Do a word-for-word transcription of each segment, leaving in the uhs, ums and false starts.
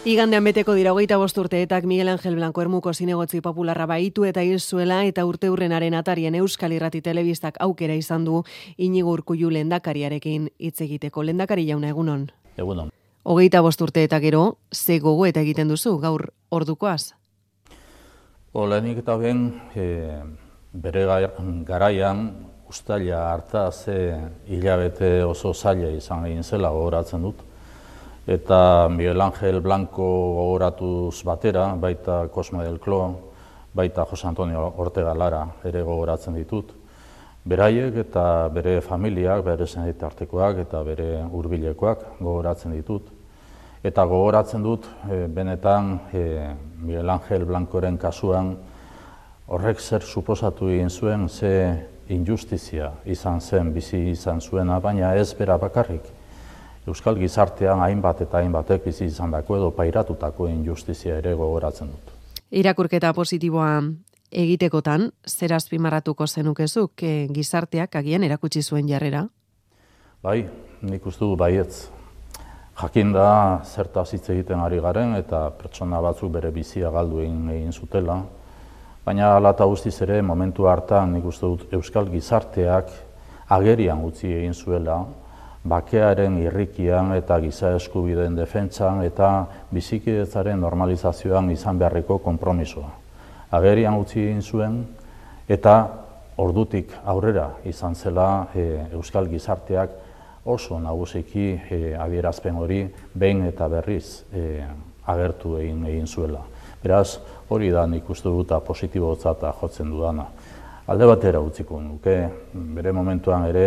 Igandean beteko dira hogeita bost urteetak Miguel Angel Blanco Ermuko zinegotzi popularra baitu eta hil zuela eta urteurrenaren atarien Euskal Irrati Telebistak aukera izan du Inigo Urkullu lehendakariarekin hitz egiteko. Lehendakari jauna, egunon. Egunon. Hogeita bost urte eta gero, ze gogo eta egiten duzu gaur ordukoaz? Olenik eta ben, e, bere garaian ustaila harta ze hilabete oso zaila izan egin zela gogoratzen dut. Eta Miguel Angel Blanco gogoratuz batera, baita Cosme del Cló, baita Jose Antonio Ortega Lara ere gogoratzen ditut. Beraiek eta bere familiak, bere senitartekoak eta bere hurbilekoak gogoratzen ditut. Eta gogoratzen dut, e, benetan e, Miguel Angel Blancoren kasuan horrek zer suposatu egin zuen, ze injustizia izan zen, bizi izan zuena, baina ez bera bakarrik. Euskal gizartean hainbat eta hainbatek bizi izandako edo pairatutako injustizia ere gogoratzen dut. Irakurketa positiboa egitekotan, zer azpimarratuko zenukezuk e, gizarteak agian erakutsi zuen jarrera? Bai, nik uste du baietz. Jakinda zertaz hitz egiten ari garen eta pertsona batzuk bere bizia galdu egin, egin zutela. Baina hala eta guztiz ere momentu hartan nik uste dut Euskal gizarteak agerian utzi egin zuela, bakearen irrikian eta giza eskubideen defentsan eta bizikidetzaren normalizazioan izan beharreko konpromisoa. Agerian utzi egin zuen eta ordutik aurrera izan zela e, Euskal gizarteak oso nagusiki e, adierazpen hori behin eta berriz e, agertu egin egin zuela. Beraz, hori da nik uste dut positibotzat jotzen dudana. Alde batera utziko nuke, bere momentuan ere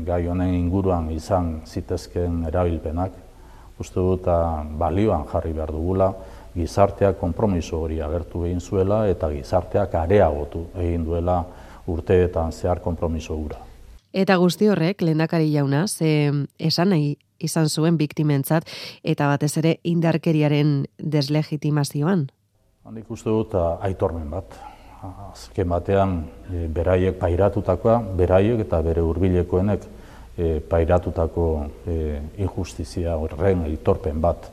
gai honen inguruan izan zitezkeen erabilpenak, uste dut balioan jarri behar dugula, gizarteak konpromiso hori agertu egin zuela eta gizarteak areagotu egin duela urteetan zehar konpromiso hura. Eta guzti horrek, lehendakari jauna, ze esan nahi izan zuen biktimentzat eta batez ere indarkeriaren deslegitimazioan? Nik uste dut aitormen bat. Azken batean e, beraiek pairatutakoa, beraiek eta bere hurbilekoenek e, pairatutako e, injustizia horren aitorpen bat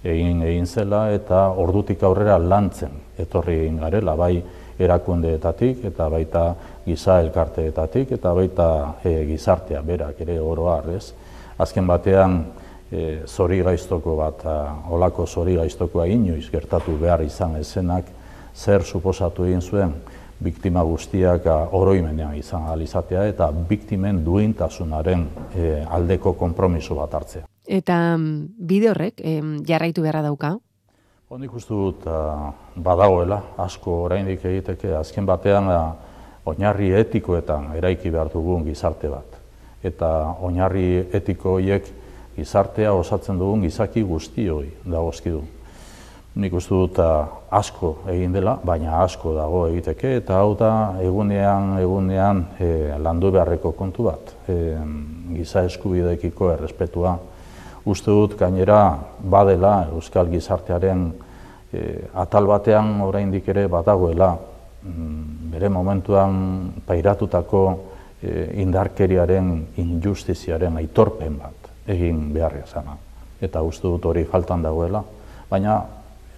egin egin zela eta ordutik aurrera lantzen etorri egin garela, bai erakundeetatik eta baita giza elkarteetatik eta baita e, gizartea berak ere oro har, ez? Azken batean e, zori gaiztoko bat, a, olako zori gaiztokoa inoiz gertatu behar izan ezenak, zer suposatu egin zuen biktima guztiak oroimenean izan ahal izatea eta biktimen duintasunaren e, aldeko konpromiso bat hartzea. Eta bide horrek e, jarraitu beharra dauka? Nik uste dut badagoela, asko oraindik egiteke, azken batean a, oinarri etikoetan eraiki behar dugun gizarte bat. Eta oinarri etiko horiek gizartea osatzen dugun gizaki guztioi dagozkidu. Nik uste dut asko egin dela, baina asko dago egiteke, eta hau da egunean, egunean e, landu beharreko kontu bat. E, giza eskubideekiko errespetua. Uste dut gainera badela Euskal gizartearen e, atal batean oraindik ere badagoela mm, bere momentuan pairatutako e, indarkeriaren, injustiziaren aitorpen bat egin beharria zana. Eta uste dut hori faltan dagoela, baina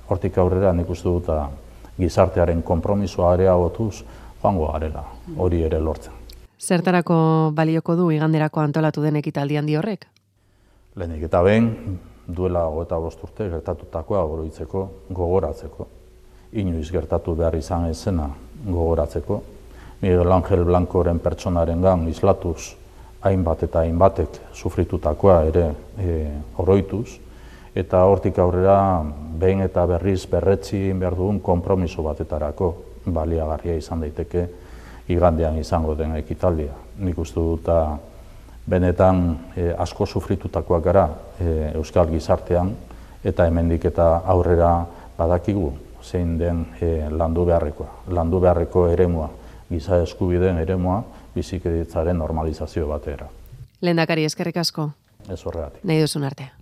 hortik aurrera nik uste dut gizartearen konpromisoa areagotuz joango garela, hori ere lortzen. Zertarako balioko du iganderako antolatu den ekitaldi handi horrek? Lehenik eta behin, duela hogeita bost urte gertatutakoa oroitzeko, gogoratzeko. Inoiz gertatu behar izan ezena gogoratzeko. Miguel Angel Blancoren pertsonarengan islatuz hainbat eta hainbatek sufritutakoa ere e, oroituz. Eta hortik aurrera behin eta berriz berretsi behar dugun konpromiso batetarako baliagarria izan daiteke igandean izango den ekitaldia. Nik uste dut benetan e, asko sufritutakoak gara e, Euskal gizartean eta hemendik eta aurrera badakigu zein den e, landu beharrekoa. Landu beharreko eremua, giza eskubideen eremua, bizikidetzaren normalizazio batera. Lehendakari, eskerrik asko. Ez horregatik. Nahi duzun arte.